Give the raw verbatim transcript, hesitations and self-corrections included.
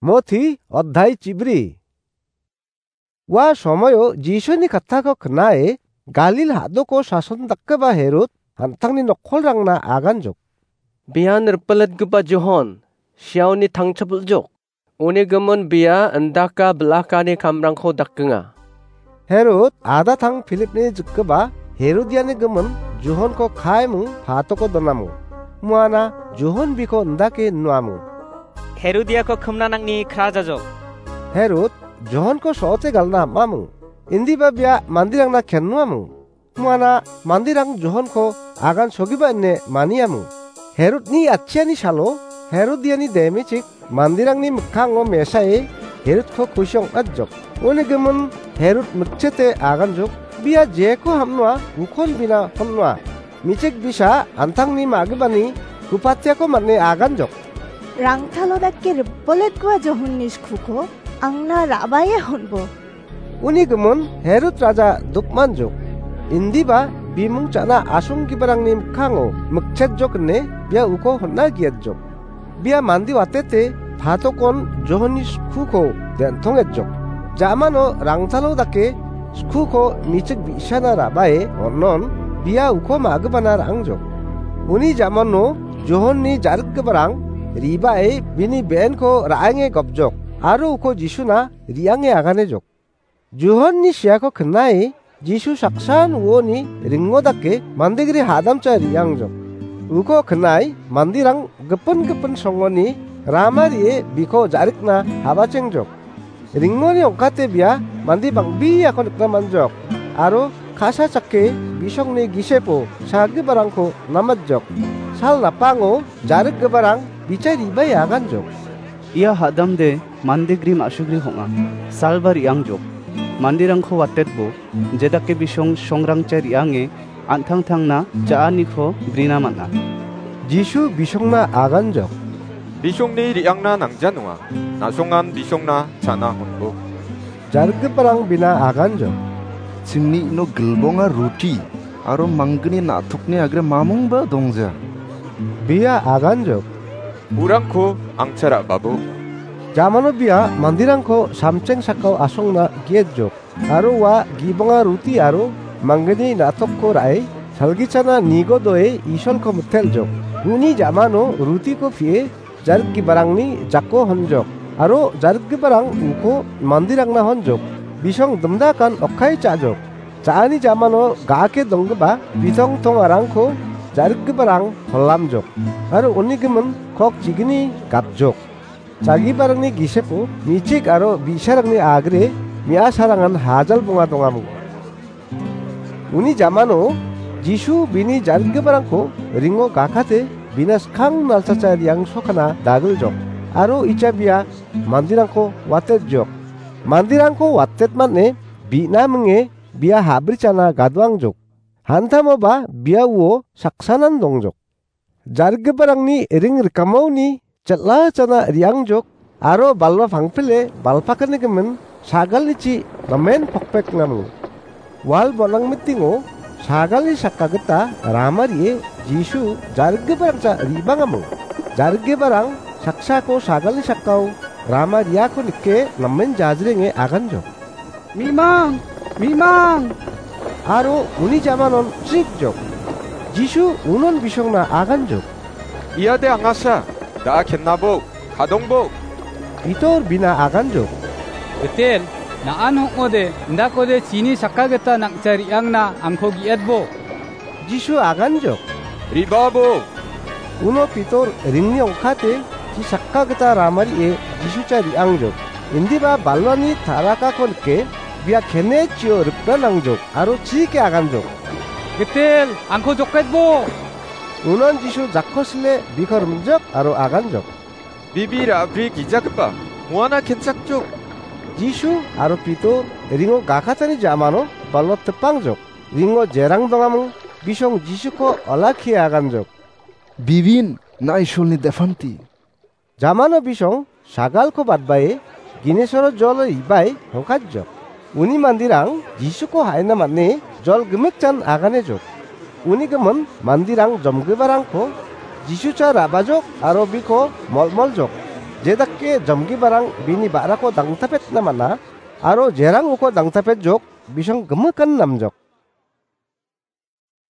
Moti oddhai chibri. Ua somoio Jisuni kattako knae Galil hadoko sason dakgipa Herod an·tangni nokkolrangna aganjok. Bian ripiletgipa Johon, siaoni tangchapil·jok. Uni gimin bia indaka bilakani kamrangko dakgenga. Herod adatang Philipni jikgipa Herodiani gimin Johonko kaiming patoko donamo. Muana Johon biko indake inuamo. Herodiako kimna nangni krajajok. Herod Johonko sote galna amamo. Indiba bia mandirangna kennuamo. Muana mandirang Johonko agan sogipa ine maniamo. Herodni atchiani salo Herodiani demichik mandirangni mikkango mesae Herodko kusi ong·atjok. Uni gimin Herod mikchete aganjok. Bia jeko hamnoa ukon bina honnoa. Michik bisa an·tangni ma·gipani kupatiako man·e aganjok. Rangtalo dake ripoletgipa Johonni skuko angna ra·bae honbo. Uni gimin Herod raja dukmanjok. Indiba bimung cha·na asonggiparangni mikkango mikchetjok ine bia uko hon·a giatjok. Bia mande watete patokon Johonni skuko den·tongejok. Jamano rangtalo dake skuko michik bi·sana ra·bae on·on bia uko ma·gipana ra·angjok. Uni jamano Johonni ja·rikgiparang ribae bini be·enko ra·enge gopjok aro uko Jisuna re·ange aganejok. Johonni siako knae Jisu saksan uoni ringo dake mandegri hadamcha re·angjok. Uko knae mandirang gipin gipin songoni rama re·e biko ja·rikna habachengjok. Ringoni ong·kate bia mande bang·beako nikna man·jok aro ka·sa chake bisongni gisepo sagiparangko namatjok. Sal napango ja·rikgiparang bichai re·bae aganjok. Ia hadamde mandegri ma·sugri hong·a, salba re·angjok. Manderangko watetbo, jedake bisong songrangcha re·ange an·tangtangna ja·aniko brina man·a. Jisu bisongna aganjok. Bisongni re·angna nangja nonga. Na·songan bisongna cha·na honbo. Ja·rikgiparang bina aganjok. Chingni ino gilbonga roti aro manggni na·tokni agre mamungba dongja. Bia aganjok. Urangko angcha ra·babo. Jamano bia mandirangko samcheng sakao asongna gietjok. Aro ua gibonga roti aro manggni na·tokko ra·e, salgichana nigodoe Isolko mitelljok. Uni jamano rotiko pie ja·rikgiparangni jako honjok. Aro ja·rikgiparang uko mandirangna honjok. Bisong dimdakan okkai cha·jok. Cha·ani jamano ga·ake donggipa bitong tongarangko ja·rikgiparang holamjok. Aro uni gimin kok chigni gapjok. Chagiparangni gisepo michik aro bi·sarangni agre me·asarangan hajal bonga dongamung. Uni jamano Jisu bini ja·rikgiparangko ringo gakate bina skang nalsacha re·ang sokana dagiljok aro icha bia mandirangko watetjok. Mandirangko watetmane bi·na minge bia habrichana gadoangjok. Hantamoba bia uo saksanan dongjok. Ja·rikgiparangni ring rikamaoni chel·a chana re·angjok aro balwa pangpile balpakani gimin sagalni chi namen pokpekngamung. Wal bonang mitingo sagalni sakka gita rama re·e Jisu ja·rikgiparangcha re·bangamung. Ja·rikgiparang saksako sagalni sakkao rama re·ako nike namen jajrenge aganjok. Mimang! Mimang! Aro uni jamanon chrikjok. Jisu unon bisongna aganjok. Iade angasa, da·a kennabo, kadongbo. Pitor bina aganjok. Betel, na·an hong·ode, indakode chini sakka gita nangcha re·angna angko gi·etbo. Jisu aganjok. Re·babo. Uno Pitor ringni ong·kate chi sakka gita rama re·e Jisucha re·angjok. Indiba balwani tarakako nike bia kene chio rikna nangjok aro chike aganjok. Betel, angko joketbo. Unon Jisu jako sile biko rimjok aro aganjok. Bibi ra·bri gijagipa, muana kenchakjok. Jisu aro Pitor ringo gakatani jamano balwa tipangjok. Ringo jerang dongamung bisong Jisuko olakkie aganjok. Bibin, na Isolni defanti. Jamano bisong sagalko badbae ginisoro jolo ibai hongkatjok. Uni mandirang Jisuko ha·ina man·e jol gimikjan aganejok. Uni gimin mandirang jomgiparangko Jisucha ra·bajok aro biko molmoljok. Jedake jamgiparang bini ba·rako dangtapetna man·a, aro jerang uko dangtapetjok, bisong gimikan namjok.